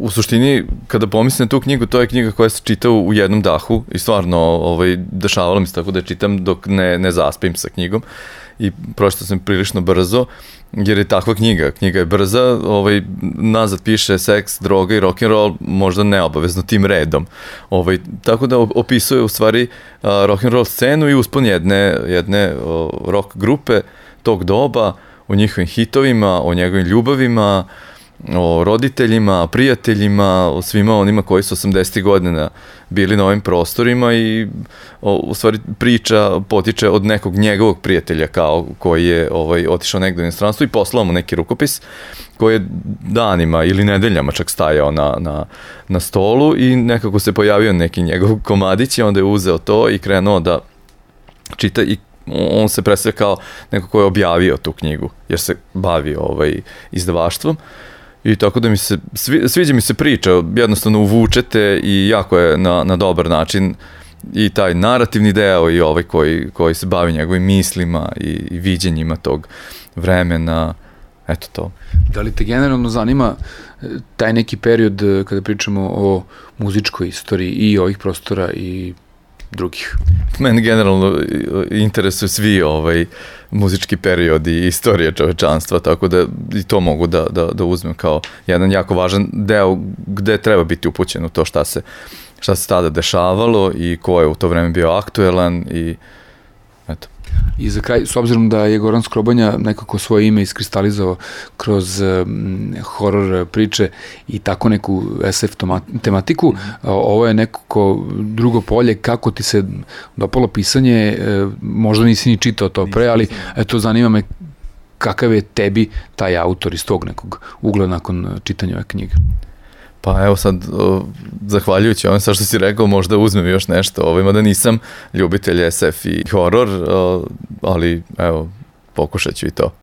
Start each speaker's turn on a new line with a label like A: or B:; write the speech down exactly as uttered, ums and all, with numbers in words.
A: u suštini, kada pomislim na tu knjigu, to je knjiga koja se čita u jednom dahu i stvarno ovaj, dešavalo mi se tako da je čitam dok ne, ne zaspim sa knjigom i pročitao sam prilično brzo, jer je takva knjiga. Knjiga je brza, ovaj, nazad piše seks, droga i rock'n'roll, možda neobavezno tim redom. Ovaj, tako da opisuje u stvari uh, rock'n'roll scenu i uspon jedne, jedne uh, rock grupe tog doba, o njihovim hitovima, o njegovim ljubavima, o roditeljima, prijateljima, o svima onima koji su osamdesetih godina bili na ovim prostorima i o, u stvari priča potiče od nekog njegovog prijatelja kao koji je ovaj, otišao negde u inostranstvo i poslao mu neki rukopis koji je danima ili nedeljama čak stajao na, na, na stolu i nekako se pojavio neki njegov komadić i onda je uzeo to i krenuo da čita i on se predstavlja kao neko ko je objavio tu knjigu jer se bavi ovaj, izdavaštvom. I tako da mi se, svi, sviđa mi se priča, jednostavno uvučete i jako je na, na dobar način i taj narativni deo i ovaj koji, koji se bavi njegovim mislima i, i viđenjima tog vremena, eto to.
B: Da li te generalno zanima taj neki period kada pričamo o muzičkoj istoriji i ovih prostora i drugih?
A: Mene generalno interesuju svi ovaj muzički periodi i istorije čovečanstva, tako da i to mogu da, da, da uzmem kao jedan jako važan deo gde treba biti upućen u to šta se, šta se tada dešavalo i ko je u to vreme bio aktuelan i eto.
B: I za kraj, s obzirom da je Goran Skrobanja nekako svoje ime iskristalizao kroz um, horor priče i tako neku es ef tematiku, mm-hmm. ovo je nekako drugo polje, kako ti se dopalo pisanje, možda nisi ni čitao to pre, ali eto, zanima me kakav je tebi taj autor iz tog nekog ugla nakon čitanja ove knjige.
A: Pa evo sad, o, zahvaljujući ovome sad što si rekao, možda uzmem još nešto, ovima da nisam ljubitelj es ef i horor, o, ali evo, pokušat ću i to.